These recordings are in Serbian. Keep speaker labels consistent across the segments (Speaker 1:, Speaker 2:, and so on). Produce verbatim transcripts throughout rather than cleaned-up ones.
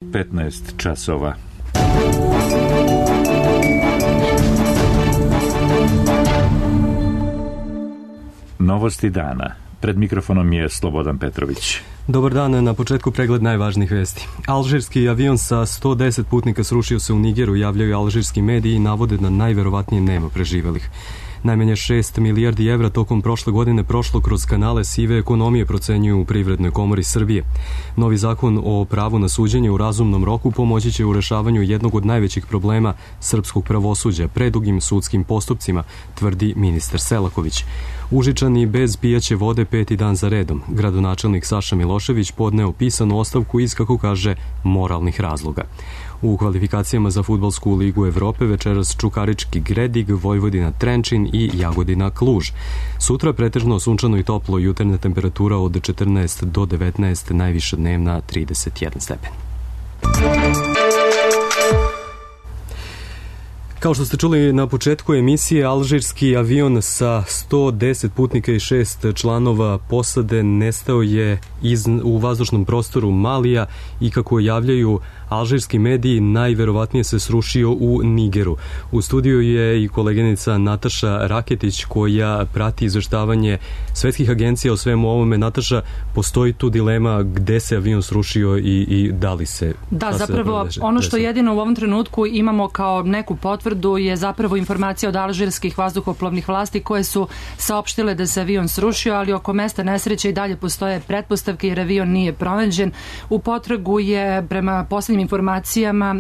Speaker 1: petnaest časova. Novosti dana. Pred mikrofonom je Slobodan Petrović.
Speaker 2: Dobar dan, na početku pregled najvažnijih vesti. Alžirski avion sa sto deset putnika srušio se u Nigeru, javljaju alžirski mediji i navode da najverovatnije nema preživelih. Najmanje šest milijardi evra tokom prošle godine prošlo kroz kanale sive ekonomije, procenjuju u Privrednoj komori Srbije. Novi zakon o pravu na suđenje u razumnom roku pomoći će u rešavanju jednog od najvećih problema srpskog pravosuđa, predugim sudskim postupcima, tvrdi ministar Selaković. Užičani bez pijaće vode peti dan za redom. Gradonačelnik Saša Milošević podneo pisanu ostavku iz, kako kaže, moralnih razloga. U kvalifikacijama za fudbalsku ligu Evrope večeras Čukarički Gredig, Vojvodina Trenčin i Jagodina Kluž. Sutra pretežno sunčano i toplo, jutarnja temperatura od četrnaest do devetnaest, najviša dnevna trideset jedan stepen. Kao što ste čuli na početku emisije, alžirski avion sa sto deset putnika i šest članova posade nestao je iz, u vazdušnom prostoru Malija i, kako javljaju alžirski mediji, najverovatnije se srušio u Nigeru. U studiju je i koleginica Nataša Raketić koja prati izveštavanje svetskih agencija o svemu ovome. Nataša, postoji tu dilema gde se avion srušio i, i da li se...
Speaker 3: Da, zapravo ono što jedino u ovom trenutku imamo kao neku potvrdu je zapravo informacija od alžirskih vazduhoplovnih vlasti koje su saopštile da se avion srušio, ali oko mesta nesreće i dalje postoje pretpostavke jer avion nije pronađen. U potragu je, prema poslednjim informacijama,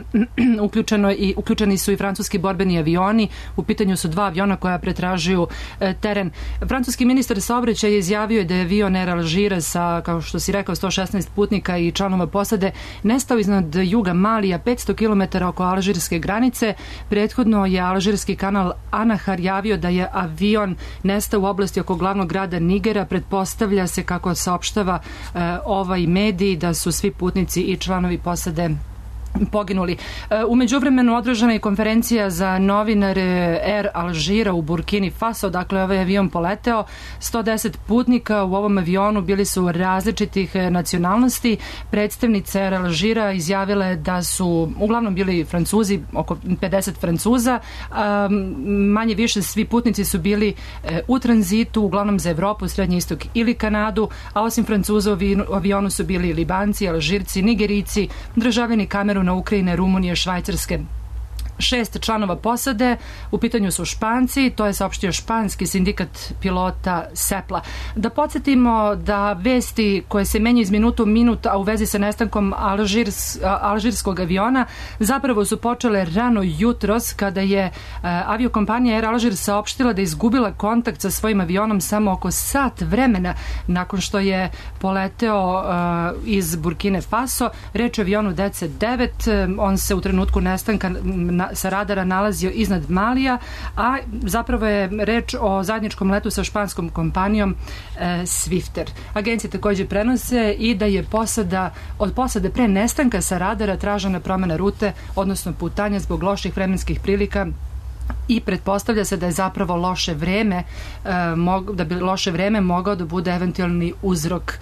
Speaker 3: uključeno i, uključeni su i francuski borbeni avioni. U pitanju su dva aviona koja pretražuju e, teren. Francuski ministar saobraćaja je izjavio da je avion Air Alžira sa, kao što si rekao, sto šesnaest putnika i članova posade nestao iznad juga Malija, petsto kilometara oko alžirske granice. Prethodno je alžirski kanal Anahar javio da je avion nestao u oblasti oko glavnog grada Nigera. Pretpostavlja se, kako saopštava e, ovaj medij, da su svi putnici i članovi posade poginuli. U međuvremenu održana je konferencija za novinare Air Alžira u Burkini Faso, dakle ovaj avion poleteo. sto deset putnika u ovom avionu bili su različitih nacionalnosti. Predstavnica Air Alžira izjavila je da su uglavnom bili Francuzi, oko pedeset Francuza. Manje više svi putnici su bili u tranzitu, uglavnom za Evropu, Srednji istok ili Kanadu, a osim Francuza u avionu su bili Libanci, Alžirci, Nigerici, državljani Kameruna, na Ukrajine, Rumunije, Švajcarske. Šest članova posade, u pitanju su Španci, to je saopštio španski sindikat pilota Sepla. Da podsjetimo da vesti koje se menjaju iz minuta u minut, a u vezi sa nestankom Alžirs, alžirskog aviona, zapravo su počele rano jutros, kada je uh, aviokompanija Air Alžir saopštila da je izgubila kontakt sa svojim avionom samo oko sat vremena nakon što je poleteo uh, iz Burkine Faso. Reč o avionu D C devet, on se u trenutku nestanka na sa radara nalazio iznad Malija, a zapravo je reč o zajedničkom letu sa španskom kompanijom e, Swifter. Agencije takođe prenose i da je posada, od posade pre nestanka sa radara tražena promena rute, odnosno putanja zbog loših vremenskih prilika, i pretpostavlja se da je zapravo loše vreme, da bi loše vreme mogao da bude eventualni uzrok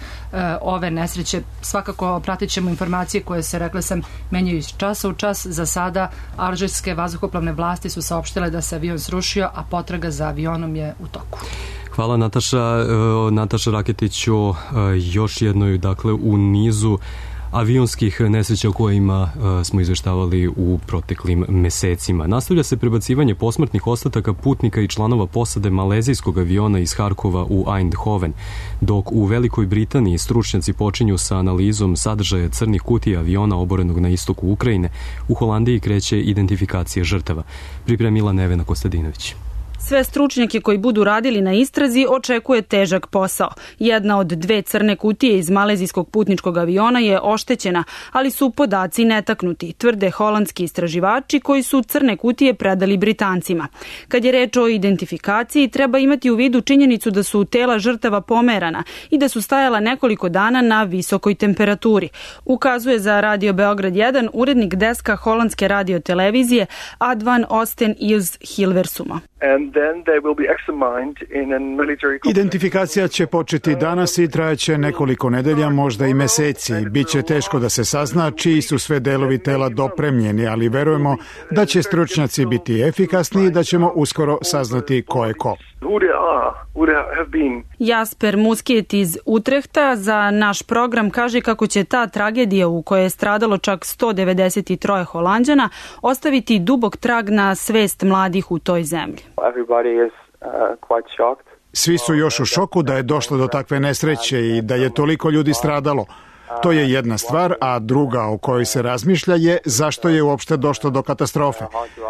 Speaker 3: ove nesreće. Svakako pratit ćemo informacije koje se, rekla sam, menjaju iz časa u čas. Za sada alžirske vazduhoplovne vlasti su saopštile da se avion srušio, a potraga za avionom je u toku.
Speaker 2: Hvala, Nataša. Nataša Raketiću, još jednoj, dakle, u nizu avionskih nesreća o kojima uh, smo izveštavali u proteklim mesecima. Nastavlja se prebacivanje posmrtnih ostataka putnika i članova posade malezijskog aviona iz Harkova u Eindhoven, dok u Velikoj Britaniji stručnjaci počinju sa analizom sadržaja crnih kutija aviona oborenog na istoku Ukrajine. U Holandiji kreće identifikacija žrtava. Pripremila Nevena Kostadinović.
Speaker 4: Sve stručnjake koji budu radili na istrazi očekuje težak posao. Jedna od dve crne kutije iz malezijskog putničkog aviona je oštećena, ali su podaci netaknuti, tvrde holandski istraživači koji su crne kutije predali Britancima. Kad je reč o identifikaciji, treba imati u vidu činjenicu da su tela žrtava pomerana i da su stajala nekoliko dana na visokoj temperaturi. Ukazuje za Radio Beograd jedan urednik deska holandske radiotelevizije Advan Osten iz Hilversuma.
Speaker 5: Identifikacija će početi danas i trajaće nekoliko nedelja, možda i meseci. Biće teško da se sazna čiji su sve delovi tela dopremljeni, ali verujemo da će stručnjaci biti efikasni i da ćemo uskoro saznati ko je ko.
Speaker 4: Jasper Muskiet iz Utrehta za naš program kaže kako će ta tragedija u kojoj je stradalo čak sto devedeset tri Holanđana ostaviti dubok trag na svest mladih u toj zemlji.
Speaker 5: Svi su još u šoku da je došlo do takve nesreće i da je toliko ljudi stradalo. To je jedna stvar, a druga o kojoj se razmišlja je zašto je uopšte došlo do katastrofe.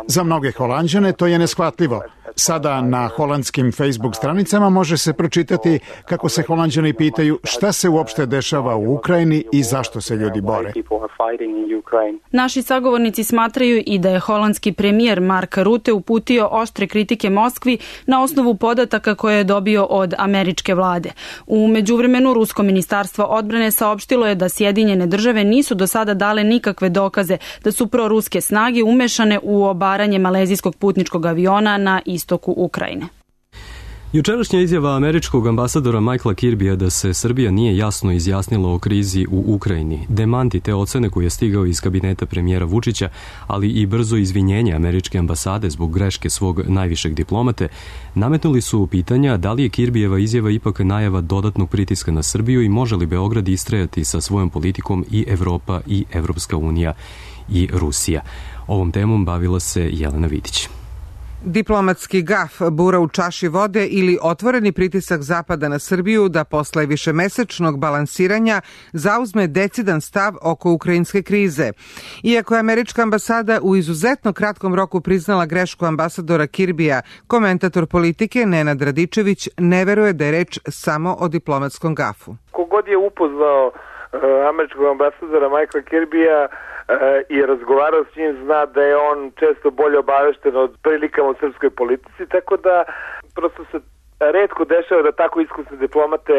Speaker 5: Za mnoge Holanđane to je neshvatljivo. Sada na holandskim Facebook stranicama može se pročitati kako se Holanđani pitaju šta se uopšte dešava u Ukrajini i zašto se ljudi bore.
Speaker 4: Naši sagovornici smatraju i da je holandski premijer Mark Rutte uputio oštre kritike Moskvi na osnovu podataka koje je dobio od američke vlade. U međuvremenu Rusko ministarstvo odbrane saopštilo je da Sjedinjene države nisu do sada dale nikakve dokaze da su proruske snage umešane u obaranje malezijskog putničkog aviona na istoku Ukrajine.
Speaker 2: Jučerašnja izjava američkog ambasadora Michaela Kirbija da se Srbija nije jasno izjasnila o krizi u Ukrajini, demanti te ocene koje je stigao iz kabineta premijera Vučića, ali i brzo izvinjenje američke ambasade zbog greške svog najvišeg diplomate, nametnuli su pitanja da li je Kirbijeva izjava ipak najava dodatnog pritiska na Srbiju i može li Beograd istrajati sa svojom politikom i Evropa i Evropska unija i Rusija. Ovom temom bavila se Jelena Vidić.
Speaker 6: Diplomatski gaf, bura u čaši vode ili otvoreni pritisak Zapada na Srbiju da posle višemesečnog balansiranja zauzme decidan stav oko ukrajinske krize. Iako je američka ambasada u izuzetno kratkom roku priznala grešku ambasadora Kirbija, komentator politike Nenad Radičević ne veruje da je reč samo o diplomatskom gafu.
Speaker 7: Kogod je upoznao američkog ambasadora Michaela Kirbija i razgovarao s njim, zna da je on često bolje obavešten od prilikama u srpskoj politici, tako da prosto se retko dešava da tako iskusne diplomate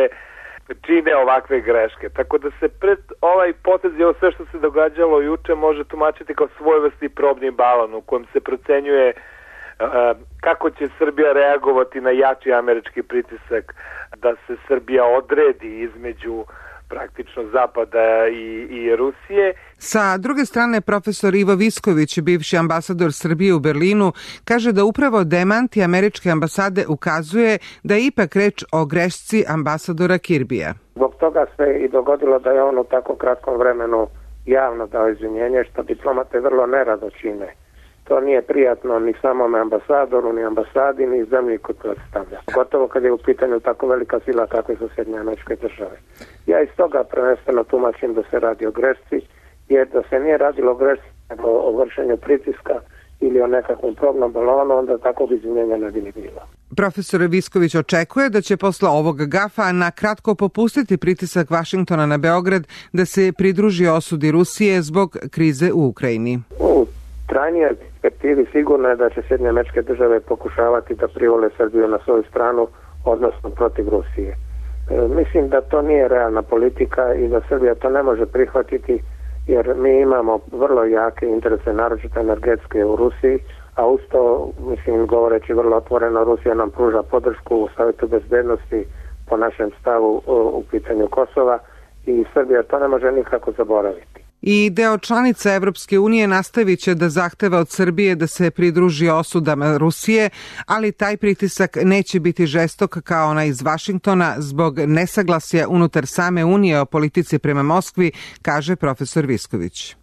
Speaker 7: čine ovakve greške. Tako da se pred ovaj potez i ovo sve što se događalo juče može tumačiti kao svojevrsni probni balon u kojem se procenjuje kako će Srbija reagovati na jači američki pritisak da se Srbija odredi između praktično Zapada i, i Rusije.
Speaker 6: Sa druge strane, profesor Ivo Visković, bivši ambasador Srbije u Berlinu, kaže da upravo demanti američke ambasade ukazuje da je ipak reč o grešci ambasadora Kirbija.
Speaker 8: Zbog toga se i dogodilo da je on u tako kratkom vremenu javno dao izvinjenje, što diplomate vrlo nerado čine. To nije prijatno ni samome ambasadoru, ni ambasadi, ni zemlji kod predstavlja. Gotovo kad je u pitanju tako velika sila kakve su Sjedinjene Američke Države. Ja iz toga prvenstveno tumačim da se radi o grešci, jer da se nije radilo o grešci, nego o vršenju pritiska ili o nekakvom probnom balonu, onda takvog izvinjenja ne bi ni bilo.
Speaker 6: Profesor Visković očekuje da će posle ovog gafa na kratko popustiti pritisak Vašingtona na Beograd da se pridruži osudi Rusije zbog krize u Ukrajini.
Speaker 8: U trajnijoj perspektivi sigurno je da će Sjedinjene Američke Države pokušavati da privole Srbiju na svoju stranu, odnosno protiv Rusije. E, mislim da to nije realna politika i da Srbija to ne može prihvatiti, jer mi imamo vrlo jake interese, naročito energetske u Rusiji, a uz to, mislim, govoreći vrlo otvoreno, Rusija nam pruža podršku u Savjetu bezbednosti po našem stavu u pitanju Kosova i Srbija to ne može nikako zaboraviti.
Speaker 6: I deo članica Evropske unije nastavit će da zahteva od Srbije da se pridruži osudama Rusije, ali taj pritisak neće biti žestok kao onaj iz Vašingtona zbog nesaglasja unutar same Unije o politici prema Moskvi, kaže profesor Visković.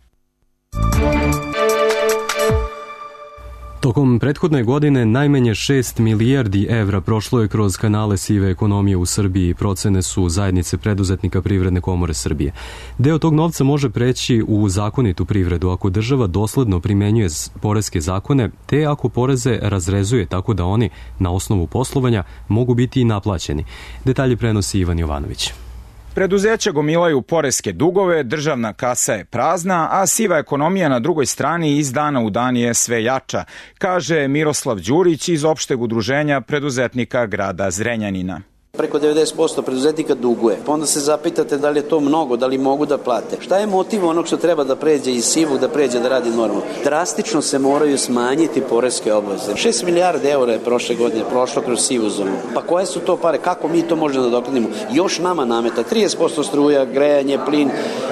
Speaker 2: Tokom prethodne godine najmanje šest milijardi evra prošlo je kroz kanale sive ekonomije u Srbiji, procene su zajednice preduzetnika Privredne komore Srbije. Deo tog novca može preći u zakonitu privredu ako država dosledno primenjuje poreske zakone, te ako poreze razrezuje tako da oni, na osnovu poslovanja, mogu biti i naplaćeni. Detalje prenosi Ivan Jovanović.
Speaker 9: Preduzeća gomilaju poreske dugove, državna kasa je prazna, a siva ekonomija na drugoj strani iz dana u dan je sve jača, kaže Miroslav Đurić iz opšteg udruženja preduzetnika grada Zrenjanina.
Speaker 10: Preko devedeset posto preduzetnika duguje. Pa onda se zapitate da li je to mnogo, da li mogu da plate. Šta je motiv onog što treba da pređe iz sivog, da pređe da radi normalno? Drastično se moraju smanjiti poreske obaveze. šest milijardi eura je prošle godine prošlo kroz sivu zonu. Pa koje su to pare? Kako mi to možemo da dokladimo? Još nama nameta trideset posto struja, grejanje, plin.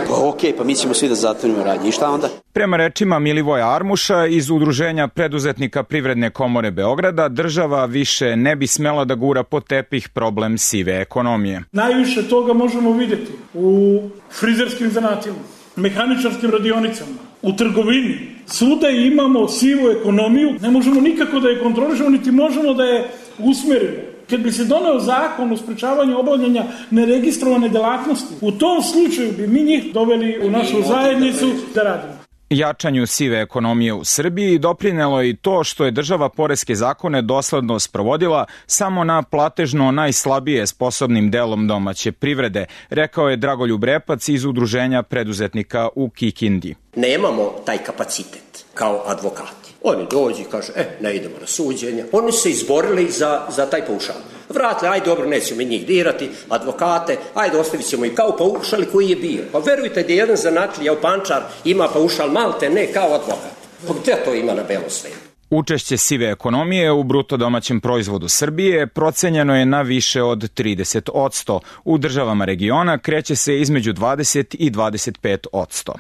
Speaker 10: Pa okej, okay, pa mi ćemo svi da zatvorimo radnje. I šta onda?
Speaker 9: Prema rečima Milivoja Armuša iz Udruženja preduzetnika Privredne komore Beograda, država više ne bi smela da gura pod tepih problem sive ekonomije.
Speaker 11: Najviše toga možemo vidjeti u frizerskim zanatima, mehaničarskim radionicama, u trgovini. Svuda imamo sivu ekonomiju, ne možemo nikako da je kontrolišemo, niti možemo da je usmerimo. Kad bi se doneo zakon o sprečavanju obavljanja neregistrovane delatnosti, u tom slučaju bi mi njih doveli u našu zajednicu da radimo.
Speaker 9: Jačanju sive ekonomije u Srbiji doprinelo je i to što je država poreske zakone dosledno sprovodila samo na platežno najslabije sposobnim delom domaće privrede, rekao je Dragoljub Repac iz Udruženja preduzetnika u Kikindi.
Speaker 12: Nemamo taj kapacitet kao advokati. Oni dođu i kažu, e, ne idemo na suđenje. Oni su se izborili za, za taj paušal. Vratili, aj dobro, nećemo njih dirati, advokate, ajde ostavit ćemo i kao paušal koji je bio. Pa verujte da jedan zanatlija u Pančar ima paušal malte, ne kao advokat. Pa gde to ima na belom svetu?
Speaker 9: Učešće sive ekonomije u bruto domaćem proizvodu Srbije procenjeno je na više od trideset posto. U državama regiona kreće se između dvadeset i dvadeset pet posto.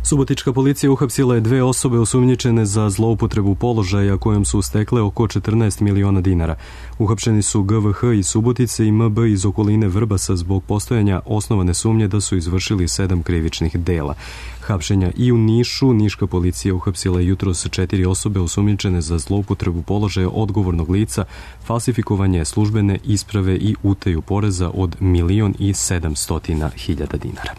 Speaker 2: Subotička policija uhapsila je dve osobe osumnjičene za zloupotrebu položaja kojom su stekle oko četrnaest miliona dinara. Uhapšeni su G V H iz Subotice i M B iz okoline Vrbasa zbog postojanja osnovane sumnje da su izvršili sedam krivičnih dela. Hapšenja i u Nišu, niška policija uhapsila jutros četiri osobe osumnjičene za zloupotrebu položaja odgovornog lica, falsifikovanje službene isprave i utaju poreza od milion i sedamstotina hiljada dinara.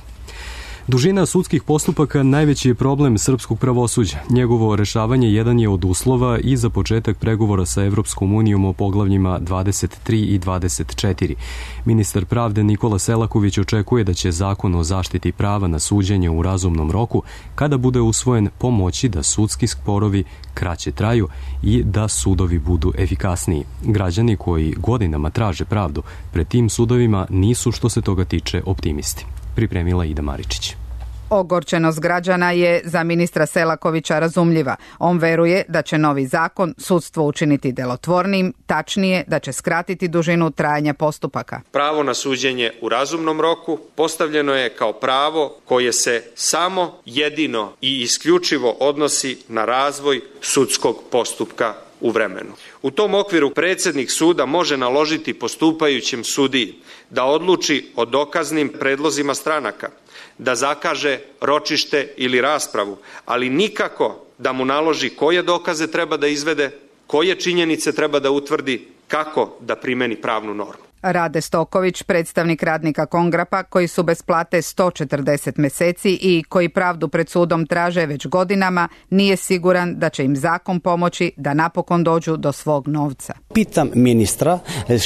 Speaker 2: Dužina sudskih postupaka najveći je problem srpskog pravosuđa. Njegovo rešavanje jedan je od uslova i za početak pregovora sa Evropskom unijom o poglavljima dvadeset tri i dvadeset četiri. Ministar pravde Nikola Selaković očekuje da će zakon o zaštiti prava na suđenje u razumnom roku, kada bude usvojen, pomoći da sudski sporovi kraće traju i da sudovi budu efikasniji. Građani koji godinama traže pravdu pred tim sudovima nisu, što se toga tiče, optimisti. Pripremila Ida Maričić.
Speaker 13: Ogorčenost građana je za ministra Selakovića razumljiva. On veruje da će novi zakon sudstvo učiniti delotvornim, tačnije da će skratiti dužinu trajanja postupaka.
Speaker 14: Pravo na suđenje u razumnom roku postavljeno je kao pravo koje se samo jedino i isključivo odnosi na razvoj sudskog postupka u vremenu. U tom okviru predsjednik suda može naložiti postupajućem sudiji da odluči o dokaznim predlozima stranaka, da zakaže ročište ili raspravu, ali nikako da mu naloži koje dokaze treba da izvede, koje činjenice treba da utvrdi, kako da primeni pravnu normu.
Speaker 13: Rade Stoković, predstavnik radnika Kongrapa, koji su bez plate sto četrdeset meseci i koji pravdu pred sudom traže već godinama, nije siguran da će im zakon pomoći da napokon dođu do svog novca.
Speaker 15: Pitam ministra,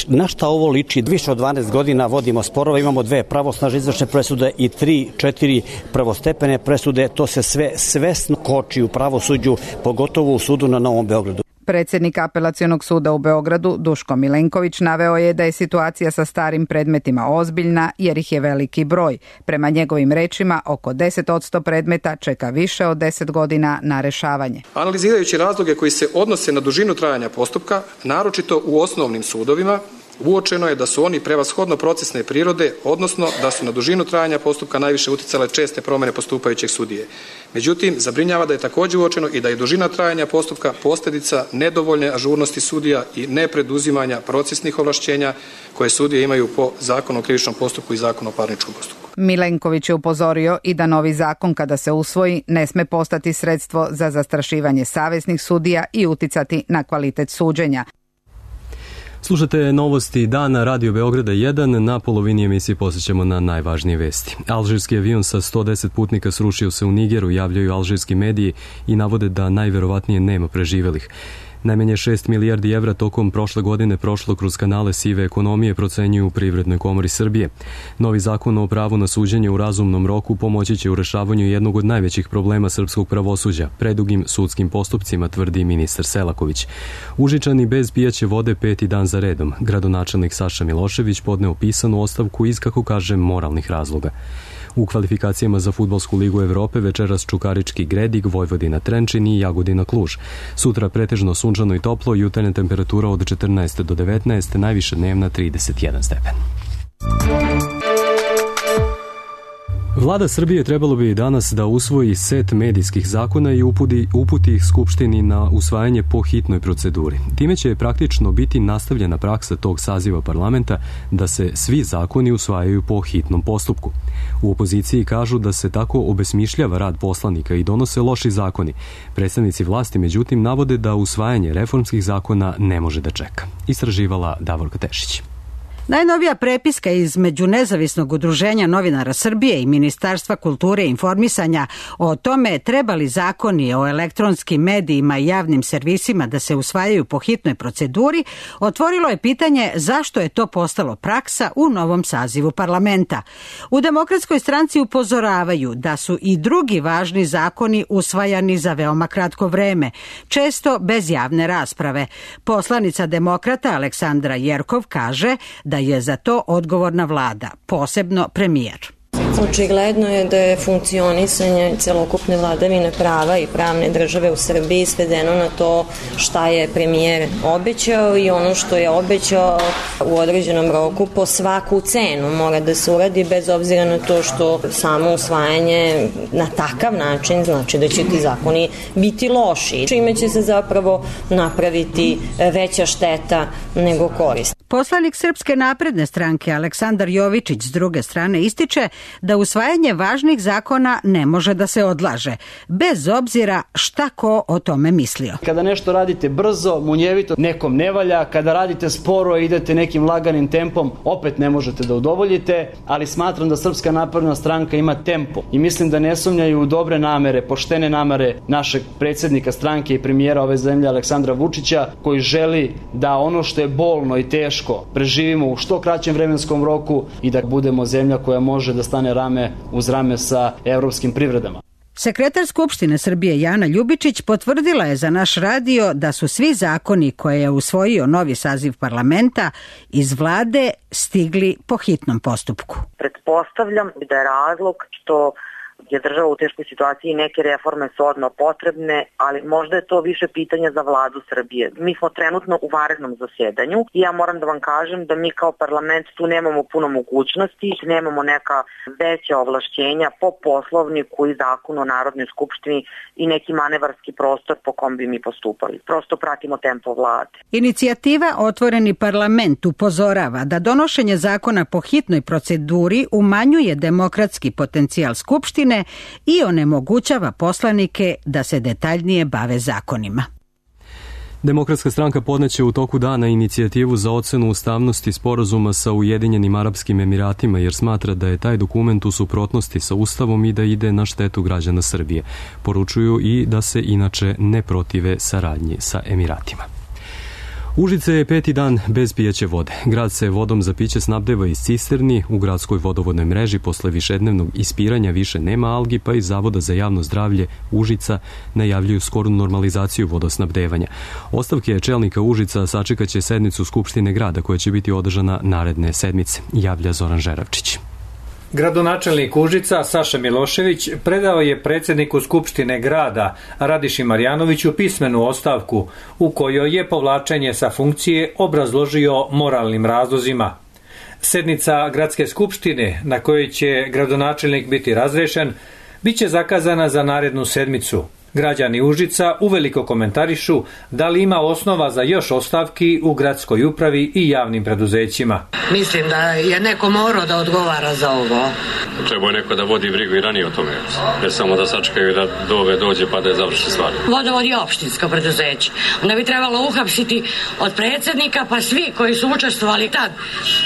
Speaker 15: na šta ovo liči? Više od dvanaest godina vodimo sporova, imamo dve pravosnažne izvršne presude i tri, četiri prvostepene presude, to se sve svesno koči u pravosuđu, pogotovo u sudu na Novom Beogradu.
Speaker 13: Predsjednik Apelacionog suda u Beogradu, Duško Milenković, naveo je da je situacija sa starim predmetima ozbiljna jer ih je veliki broj. Prema njegovim rečima, oko deset posto predmeta čeka više od deset godina na rešavanje.
Speaker 16: Analizirajući razloge koji se odnose na dužinu trajanja postupka, naročito u osnovnim sudovima, uočeno je da su oni prevashodno procesne prirode, odnosno da su na dužinu trajanja postupka najviše uticale česte promjene postupajućeg sudije. Međutim, zabrinjava da je također uočeno i da je dužina trajanja postupka posljedica nedovoljne ažurnosti sudija i nepreduzimanja procesnih ovlašćenja koje sudije imaju po Zakonu o krivičnom postupku i Zakonu o parničnom postupku.
Speaker 13: Milenković je upozorio i da novi zakon, kada se usvoji, ne sme postati sredstvo za zastrašivanje savesnih sudija i uticati na kvalitet suđenja.
Speaker 2: Slušate novosti dana Radio Beograda jedan, na polovini emisije posjećamo na najvažnije vesti. Alžirski avion sa sto deset putnika srušio se u Nigeru, javljaju alžirski mediji i navode da najverovatnije nema preživelih. Najmanje šest milijardi evra tokom prošle godine prošlo kroz kanale sive ekonomije, procenjuju u Privrednoj komori Srbije. Novi zakon o pravu na suđenje u razumnom roku pomoći će u rešavanju jednog od najvećih problema srpskog pravosuđa, predugim sudskim postupcima, tvrdi ministar Selaković. Užičani bez pijaće vode peti dan za redom. Gradonačelnik Saša Milošević podneo pisanu ostavku iz, kako kaže, moralnih razloga. U kvalifikacijama za Fudbalsku ligu Evrope večeras Čukarički Gredig, Vojvodina Trenčin i Jagodina Kluž. Sutra pretežno sunčano i toplo, jutarnja temperatura od četrnaest do devetnaest, najviše dnevna trideset jedan stepen. Vlada Srbije trebalo bi danas da usvoji set medijskih zakona i uputi, uputi ih Skupštini na usvajanje po hitnoj proceduri. Time će praktično biti nastavljena praksa tog saziva parlamenta da se svi zakoni usvajaju po hitnom postupku. U opoziciji kažu da se tako obesmišljava rad poslanika i donose loši zakoni. Predstavnici vlasti, međutim, navode da usvajanje reformskih zakona ne može da čeka. Istraživala Davorka Tešić.
Speaker 17: Najnovija prepiska između Nezavisnog udruženja novinara Srbije i Ministarstva kulture i informisanja o tome treba li zakoni o elektronskim medijima i javnim servisima da se usvajaju po hitnoj proceduri, otvorilo je pitanje zašto je to postalo praksa u novom sazivu parlamenta. U Demokratskoj stranci upozoravaju da su i drugi važni zakoni usvajani za veoma kratko vreme, često bez javne rasprave. Poslanica Demokrata Aleksandra Jerkov kaže da je za to odgovorna vlada, posebno premijer.
Speaker 18: Očigledno je da je funkcionisanje celokupne vladavine prava i pravne države u Srbiji svedeno na to šta je premijer obećao i ono što je obećao u određenom roku po svaku cenu mora da se uradi bez obzira na to što samo usvajanje na takav način znači da će ti zakoni biti loši, čime će se zapravo napraviti veća šteta nego korist.
Speaker 17: Poslanik Srpske napredne stranke Aleksandar Jovičić s druge strane ističe da usvajanje važnih zakona ne može da se odlaže, bez obzira šta ko o tome mislio.
Speaker 19: Kada nešto radite brzo, munjevito, nekom ne valja, kada radite sporo i idete nekim laganim tempom, opet ne možete da udovoljite, ali smatram da Srpska napredna stranka ima tempo i mislim da ne sumnjaju u dobre namere, poštene namere našeg predsjednika stranke i premijera ove zemlje Aleksandra Vučića, koji želi da ono što je bolno i teško preživimo u što kraćem vremenskom roku i da budemo zemlja koja može da stane rame uz rame sa evropskim privredama.
Speaker 17: Sekretar Skupštine Srbije Jana Ljubičić potvrdila je za naš radio da su svi zakoni koje je usvojio novi saziv parlamenta iz vlade stigli po hitnom postupku.
Speaker 20: Pretpostavljam da je razlog što je država u teškoj situaciji i neke reforme su odmah potrebne, ali možda je to više pitanja za vladu Srbije. Mi smo trenutno u vanrednom zasjedanju i ja moram da vam kažem da mi kao parlament tu nemamo puno mogućnosti, nemamo neka veća ovlašćenja po poslovniku i zakonu o Narodnoj skupštini i neki manevarski prostor po kom bi mi postupali. Prosto pratimo tempo vlade.
Speaker 17: Inicijativa Otvoreni parlament upozorava da donošenje zakona po hitnoj proceduri umanjuje demokratski potencijal Skupštine i onemogućava poslanike da se detaljnije bave zakonima.
Speaker 2: Demokratska stranka podneće u toku dana inicijativu za ocenu ustavnosti sporazuma sa Ujedinjenim Arapskim Emiratima jer smatra da je taj dokument u suprotnosti sa Ustavom i da ide na štetu građana Srbije. Poručuju i da se inače ne protive saradnji sa Emiratima. Užice je peti dan bez pijaće vode. Grad se vodom za piće snabdeva iz cisterni. U gradskoj vodovodnoj mreži posle višednevnog ispiranja više nema algi, pa iz Zavoda za javno zdravlje Užica najavljuju skoru normalizaciju vodosnabdevanja. Ostavke čelnika Užica sačekaće sednicu Skupštine grada koja će biti održana naredne sedmice, javlja Zoran Žeravčić.
Speaker 21: Gradonačelnik Užica Saša Milošević predao je predsjedniku Skupštine grada Radiši Marjanoviću pismenu ostavku u kojoj je povlačenje sa funkcije obrazložio moralnim razlozima. Sednica Gradske skupštine na kojoj će gradonačelnik biti razrešen biće zakazana za narednu sedmicu. Građani Užica uveliko komentarišu da li ima osnova za još ostavki u gradskoj upravi i javnim preduzećima.
Speaker 22: Mislim da je neko morao da odgovara za ovo.
Speaker 23: Treba je neko da vodi brigu i ranije o tome, ne samo da sačekaju da do ove dođe pa da je završi stvar.
Speaker 22: Vodovod je opštinsko preduzeće. Onda bi trebalo uhapsiti od predsjednika pa svi koji su učestvovali tad,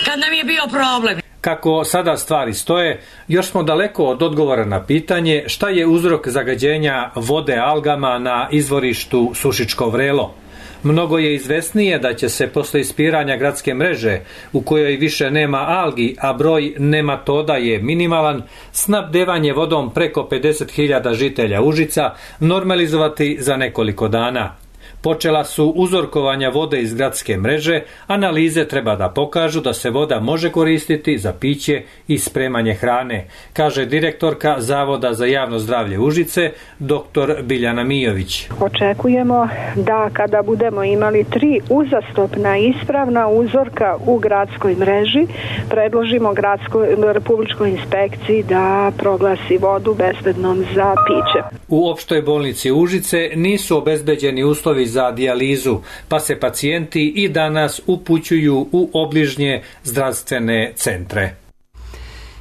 Speaker 22: kad nam je bio problem.
Speaker 21: Kako sada stvari stoje, još smo daleko od odgovora na pitanje šta je uzrok zagađenja vode algama na izvorištu Sušičko Vrelo. Mnogo je izvesnije da će se posle ispiranja gradske mreže, u kojoj više nema algi, a broj nematoda je minimalan, snabdevanje vodom preko pedeset hiljada žitelja Užica normalizovati za nekoliko dana. Počela su uzorkovanja vode iz gradske mreže, analize treba da pokažu da se voda može koristiti za piće i spremanje hrane, kaže direktorka Zavoda za javno zdravlje Užice, doktor Biljana Mijović.
Speaker 1: Očekujemo da kada budemo imali tri uzastopna ispravna uzorka u gradskoj mreži, predložimo gradskoj republičkoj inspekciji da proglasi vodu bezbednom za piće.
Speaker 21: U opštoj bolnici Užice nisu obezbeđeni uslovi za dijalizu, pa se pacijenti i danas upućuju u obližnje zdravstvene centre.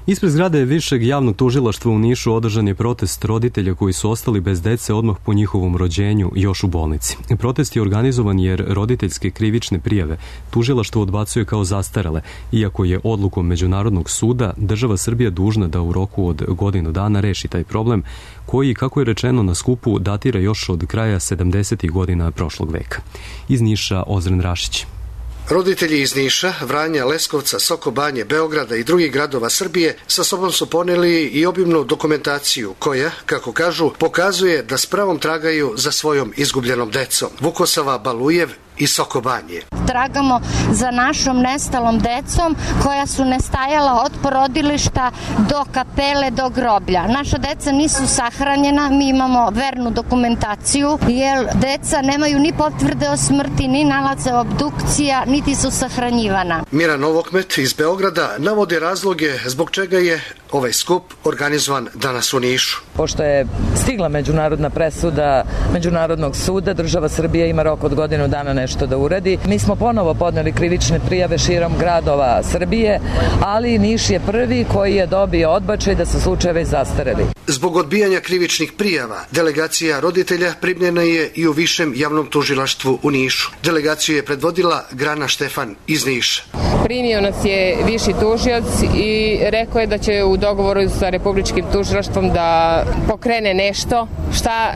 Speaker 2: Ispred zgrade Višeg javnog tužilaštva u Nišu održan je protest roditelja koji su ostali bez dece odmah po njihovom rođenju još u bolnici. Protest je organizovan jer roditeljske krivične prijave tužilaštvo odbacuje kao zastarele, iako je odlukom Međunarodnog suda država Srbija dužna da u roku od godinu dana reši taj problem, koji, kako je rečeno na skupu, datira još od kraja sedamdesetih godina prošlog veka. Iz Niša Ozren Rašić.
Speaker 3: Roditelji iz Niša, Vranja, Leskovca, Sokobanje, Beograda i drugih gradova Srbije sa sobom su poneli i obimnu dokumentaciju koja, kako kažu, pokazuje da s pravom tragaju za svojom izgubljenom decom. Vukosava Balujev i Sokobanje.
Speaker 5: Tragamo za našom nestalom decom koja su nestajala od porodilišta do kapele, do groblja. Naša deca nisu sahranjena, mi imamo vernu dokumentaciju, jer deca nemaju ni potvrde o smrti, ni nalaze obdukcija, niti su sahranjivana.
Speaker 3: Mira Novokmet iz Beograda navodi razloge zbog čega je ovaj skup organizovan danas u Nišu.
Speaker 24: Pošto je stigla međunarodna presuda Međunarodnog suda, država Srbija ima rok od godinu dana nešto da uradi. Mi smo ponovo podneli krivične prijave širom gradova Srbije, ali Niš je prvi koji je dobio odbačaj da su slučajevi zastareli.
Speaker 3: Zbog odbijanja krivičnih prijava, delegacija roditelja primljena je i u Višem javnom tužilaštvu u Nišu. Delegaciju je predvodila Grana Štefan iz Niša.
Speaker 25: Primio nas je viši tužioc i rekao je da će u dogovoru sa republičkim tužilaštvom da pokrene nešto, šta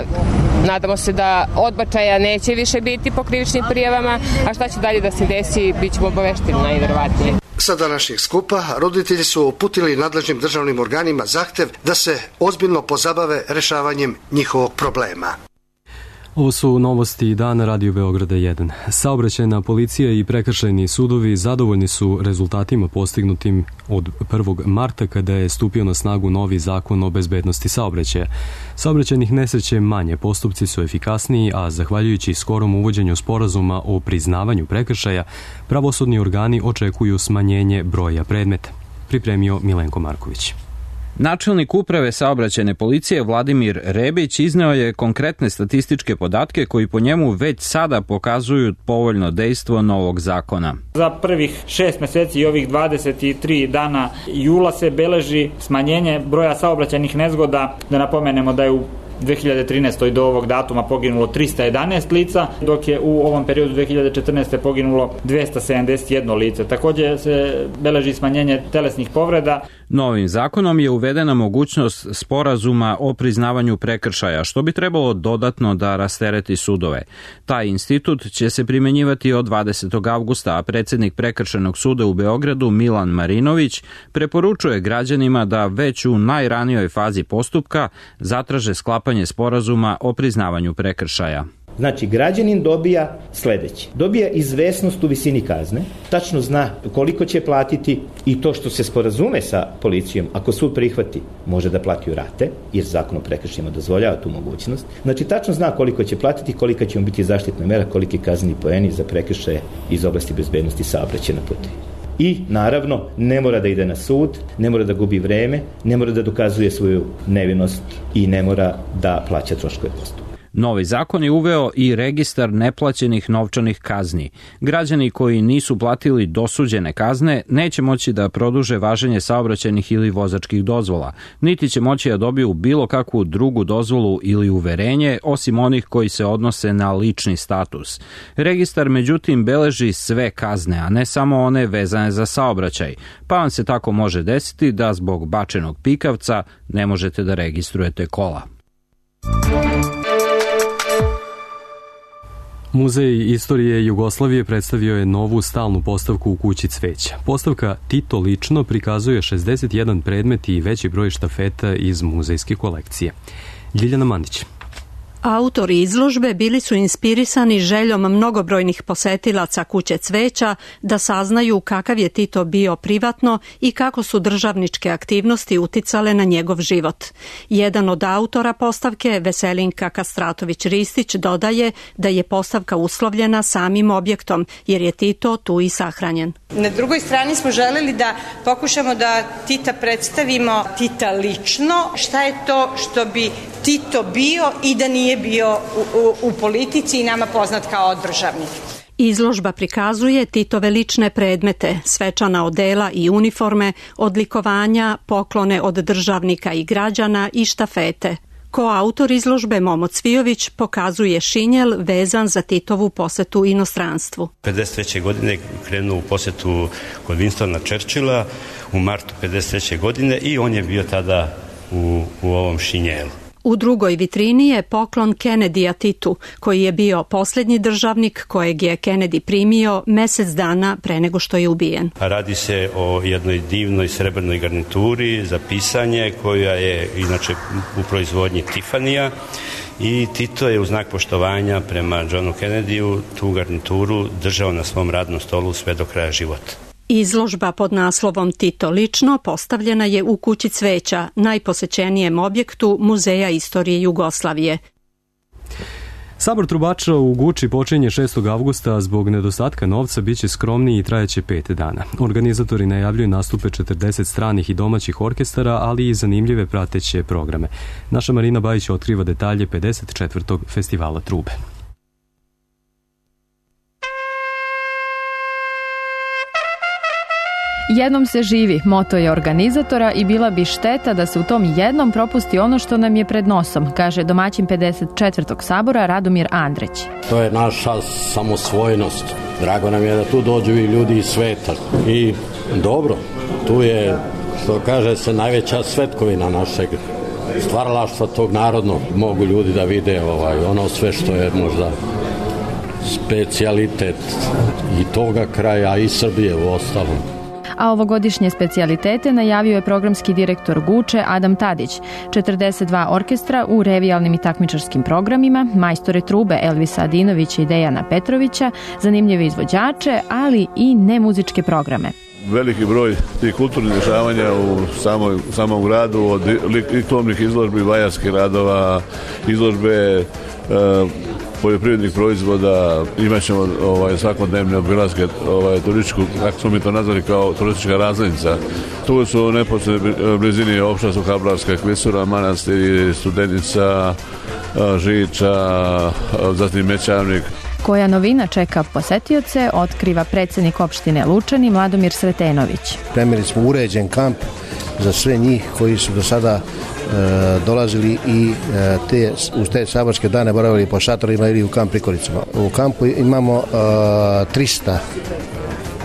Speaker 25: nadamo se da odbačaja neće više biti po krivičnim prijavama, a šta će dalje da se desi, bit ćemo obavešteni najverovatnije.
Speaker 3: Sa današnjeg skupa roditelji su uputili nadležnim državnim organima zahtev da se ozbiljno pozabave rešavanjem njihovog problema.
Speaker 2: Ovo su novosti dana Radio Beograda jedan. Saobraćajna policija i prekršajni sudovi zadovoljni su rezultatima postignutim od prvog marta kada je stupio na snagu novi zakon o bezbednosti saobraćaja. Saobraćajnih nesreća je manje, postupci su efikasniji, a zahvaljujući skorom uvođenju sporazuma o priznavanju prekršaja, pravosudni organi očekuju smanjenje broja predmeta. Pripremio Milenko Marković.
Speaker 26: Načelnik uprave saobraćajne policije Vladimir Rebić izneo je konkretne statističke podatke koji po njemu već sada pokazuju povoljno dejstvo novog zakona.
Speaker 27: Za prvih šest meseci i ovih dvadeset tri dana jula se beleži smanjenje broja saobraćajnih nezgoda. Da napomenemo da je u dve hiljade trinaestoj. do ovog datuma poginulo trista jedanaest lica, dok je u ovom periodu dve hiljade četrnaeste. poginulo dvesta sedamdeset jedno lice. Takođe se beleži smanjenje telesnih povreda.
Speaker 26: Novim zakonom je uvedena mogućnost sporazuma o priznavanju prekršaja, što bi trebalo dodatno da rastereti sudove. Taj institut će se primenjivati od dvadesetog avgusta, a predsjednik Prekršajnog suda u Beogradu Milan Marinović preporučuje građanima da već u najranijoj fazi postupka zatraže sklapanje sporazuma o priznavanju prekršaja.
Speaker 28: Znači, građanin dobija sledeće. Dobija izvesnost u visini kazne, tačno zna koliko će platiti i to što se sporazume sa policijom, ako sud prihvati, može da plati u rate, jer zakon o prekršajima dozvoljava tu mogućnost. Znači, tačno zna koliko će platiti, kolika će mu biti zaštitna mera, koliki kazneni poeni za prekršaje iz oblasti bezbednosti saobraćaja na putu. I, naravno, ne mora da ide na sud, ne mora da gubi vreme, ne mora da dokazuje svoju nevinost i ne mora da plaća troškove postupka.
Speaker 26: Novi zakon je uveo i registar neplaćenih novčanih kazni. Građani koji nisu platili dosuđene kazne neće moći da produže važenje saobraćajnih ili vozačkih dozvola, niti će moći da dobiju bilo kakvu drugu dozvolu ili uverenje, osim onih koji se odnose na lični status. Registar, međutim, beleži sve kazne, a ne samo one vezane za saobraćaj, pa vam se tako može desiti da zbog bačenog pikavca ne možete da registrujete kola.
Speaker 2: Muzej istorije Jugoslavije predstavio je novu stalnu postavku u kući cveća. Postavka Tito lično prikazuje šezdeset jedan predmet i veći broj štafeta iz muzejske kolekcije. Ljiljana Mandić.
Speaker 4: Autori izložbe bili su inspirisani željom mnogobrojnih posetilaca kuće cveća da saznaju kakav je Tito bio privatno i kako su državničke aktivnosti uticale na njegov život. Jedan od autora postavke, Veselinka Kastratović-Ristić, dodaje da je postavka uslovljena samim objektom, jer je Tito tu i sahranjen.
Speaker 6: Na drugoj strani smo želeli da pokušamo da Tita predstavimo Tita lično, šta je to što bi Tito bio i da nije bio u, u, u politici i nama poznat kao državnik.
Speaker 4: Izložba prikazuje Titove lične predmete, svečana odela i uniforme, odlikovanja, poklone od državnika i građana i štafete. Koautor izložbe Momo Cvijović pokazuje šinjel vezan za Titovu posetu inostranstvu.
Speaker 7: pedeset treće godine krenuo u posetu kod Winstona Churchilla u martu pedeset treće godine i on je bio tada u, u ovom šinjelu.
Speaker 4: U drugoj vitrini je poklon Kennedyja Titu, koji je bio posljednji državnik kojeg je Kennedy primio mjesec dana pre nego što je ubijen.
Speaker 7: Radi se o jednoj divnoj srebrnoj garnituri za pisanje koja je inače u proizvodnji Tiffanyja i Tito je u znak poštovanja prema Johnu Kennedyu tu garnituru držao na svom radnom stolu sve do kraja života.
Speaker 4: Izložba pod naslovom Tito lično postavljena je u kući cveća, najposećenijem objektu Muzeja istorije Jugoslavije.
Speaker 2: Sabor trubača u Guči počinje šestog avgusta, a zbog nedostatka novca biće skromniji i trajeće pet dana. Organizatori najavljuju nastupe četrdeset stranih i domaćih orkestara, ali i zanimljive prateće programe. Naša Marina Bajić otkriva detalje pedeset četvrtog festivala trube.
Speaker 8: Jednom se živi, moto je organizatora i bila bi šteta da se u tom jednom propusti ono što nam je pred nosom, kaže domaćin pedeset četvrtog sabora Radomir Andreć.
Speaker 9: To je naša samosvojnost. Drago nam je da tu dođu i ljudi iz sveta. I dobro, tu je, što kaže se, najveća svetkovina našeg stvaralaštva tog narodnog. Mogu ljudi da vide ovaj, ono sve što je možda specijalitet i toga kraja i Srbije u ostalom.
Speaker 8: A ovogodišnje specijalitete najavio je programski direktor Guče Adam Tadić. četrdeset dva orkestra u revijalnim i takmičarskim programima, majstore trube Elvisa Adinovića i Dejana Petrovića, zanimljive izvođače, ali i nemuzičke programe.
Speaker 10: Veliki broj tih kulturnih dešavanja u samoj, u samom gradu, od likovnih izložbi, vajarskih radova, izložbe e, poljoprivrednih proizvoda, imat ćemo ovaj, svakodnevne obilaske ovaj, turističku, kako smo mi to nazvali, kao turistička razglednica. Tu su u neposrednoj blizini opšta su Kablarska klisura, Manastir, Studenica, Žiča, zatim Mećavnik.
Speaker 8: Koja novina čeka posetioce, otkriva predsjednik opštine Lučani Mladomir Sretenović.
Speaker 11: Premijeli smo uređen kamp za sve njih koji su do sada e, dolazili i e, te, uz te saborske dane boravili po šatorima ili u kamp prikoricama. U kampu imamo e, trista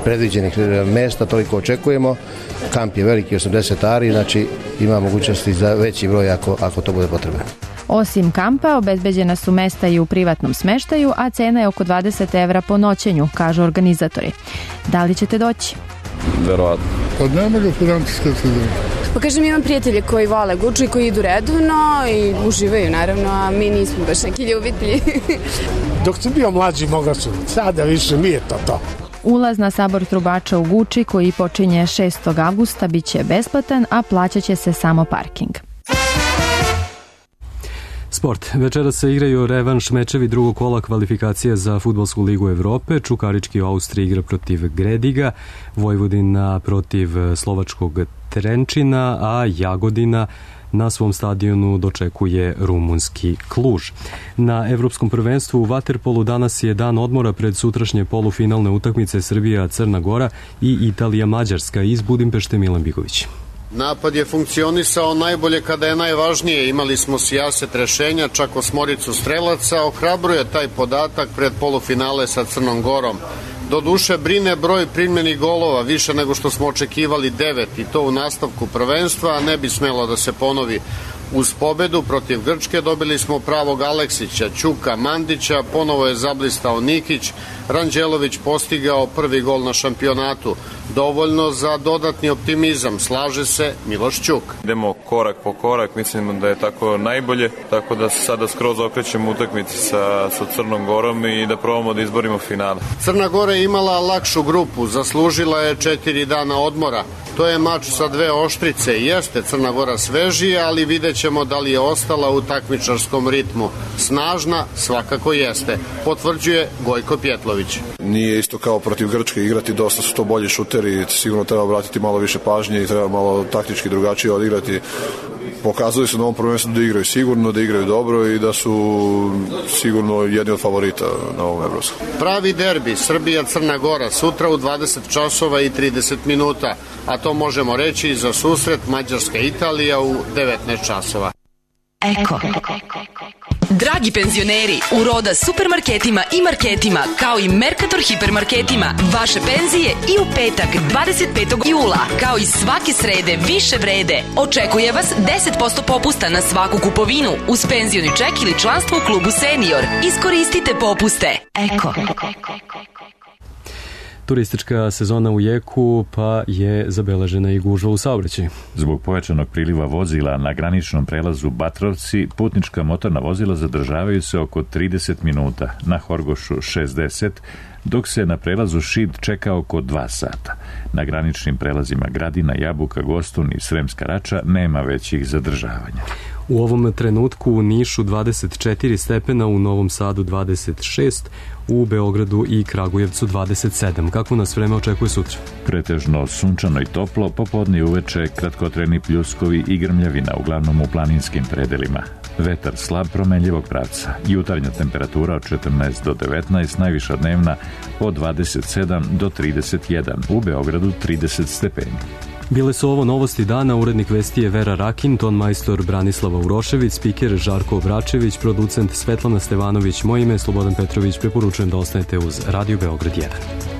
Speaker 11: predviđenih mjesta, toliko očekujemo. Kamp je veliki, osamdeset ari, znači ima mogućnosti za veći broj ako, ako to bude potrebno.
Speaker 8: Osim kampa, obezbeđena su mesta i u privatnom smeštaju, a cena je oko dvadeset evra po noćenju, kažu organizatori. Da li ćete doći?
Speaker 10: Verovatno.
Speaker 12: Pa nema ga financijska sredina.
Speaker 29: Pa kažem, imam prijatelje koji vole Guču i koji idu redovno i uživaju, naravno, a mi nismo baš neki ljubitelji.
Speaker 12: Dok sam bio mlađi, mogao sam. Sada više nije to to.
Speaker 8: Ulaz na sabor trubača u Guči, koji počinje šestog avgusta, bit će besplatan, a plaćat će se samo parking.
Speaker 2: Sport. Večera se igraju revanš mečevi drugog kola kvalifikacije za Fudbalsku ligu Evrope. Čukarički u Austriji igra protiv Grediga, Vojvodina protiv slovačkog Trenčina, a Jagodina na svom stadionu dočekuje rumunski Kluž. Na Evropskom prvenstvu u vaterpolu danas je dan odmora pred sutrašnje polufinalne utakmice Srbija-Crna Gora i Italija-Mađarska. Iz Budimpešte Milan Bigović.
Speaker 30: Napad je funkcionisao najbolje kada je najvažnije. Imali smo sijaset rešenja, čak osmoricu strelaca. Ohrabruje taj podatak pred polufinale sa Crnom Gorom. Doduše brine broj primljenih golova, više nego što smo očekivali, devet, i to u nastavku prvenstva, a ne bi smelo da se ponovi. Uz pobedu protiv Grčke dobili smo pravog Aleksića, Ćuka, Mandića, ponovo je zablistao Nikić, Ranđelović postigao prvi gol na šampionatu. Dovoljno za dodatni optimizam, slaže se Miloš Ćuk.
Speaker 13: Idemo korak po korak, mislim da je tako najbolje, tako da se sada skroz okrećemo utakmici sa, sa Crnom Gorom i da probamo da izborimo finale.
Speaker 30: Crna Gora je imala lakšu grupu, zaslužila je četiri dana odmora. To je mač sa dve oštrice. Jeste Crna Gora svežija, ali vidjet ćemo da li je ostala u takmičarskom ritmu. Snažna svakako jeste, potvrđuje Gojko Pjetlović.
Speaker 14: Nije isto kao protiv Grčke igrati, dosta su to bolji šuteri, sigurno treba obratiti malo više pažnje i treba malo taktički drugačije odigrati. Pokazuju se na ovom prvenstvu da igraju sigurno, da igraju dobro i da su sigurno jedni od favorita na ovom evropskom.
Speaker 30: Pravi derbi Srbija-Crna Gora sutra u dvadeset časova i trideset minuta, a to možemo reći i za susret Mađarska-Italija u devetnaest časova.
Speaker 15: Eko. Dragi penzioneri, u Roda supermarketima i marketima, kao i Mercator hipermarketima, vaše penzije i u petak dvadeset petog jula, kao i svake srede više vrede. Očekuje vas deset posto popusta na svaku kupovinu uz penzioni ček ili članstvo u klubu Senior. Iskoristite popuste. Eko.
Speaker 2: Turistička sezona u jeku, pa je zabeležena i gužva u saobraćaju.
Speaker 16: Zbog pojačanog priliva vozila na graničnom prelazu Batrovci, putnička motorna vozila zadržavaju se oko trideset minuta, na Horgošu šezdeset, dok se na prelazu Šid čeka oko dva sata. Na graničnim prelazima Gradina, Jabuka, Gostun i Sremska Rača nema većih zadržavanja.
Speaker 2: U ovom trenutku u Nišu dvadeset četiri stepena, u Novom Sadu dvadeset šest, u Beogradu i Kragujevcu dvadeset sedam. Kako nas vreme očekuje sutra?
Speaker 16: Pretežno sunčano i toplo, popodne i uveče kratkotreni pljuskovi i grmljavina, uglavnom u planinskim predelima. Vetar slab promenljivog pravca. Jutarnja temperatura od četrnaest do devetnaest, najviša dnevna od dvadeset sedam do trideset jedan, u Beogradu trideset stepeni.
Speaker 2: Bile su ovo novosti dana, urednik vesti je Vera Rakin, ton majstor Branislava Urošević, spiker Žarko Obračević, producent Svetlana Stevanović, moje ime je Slobodan Petrović, preporučujem da ostanete uz Radio Beograd jedan.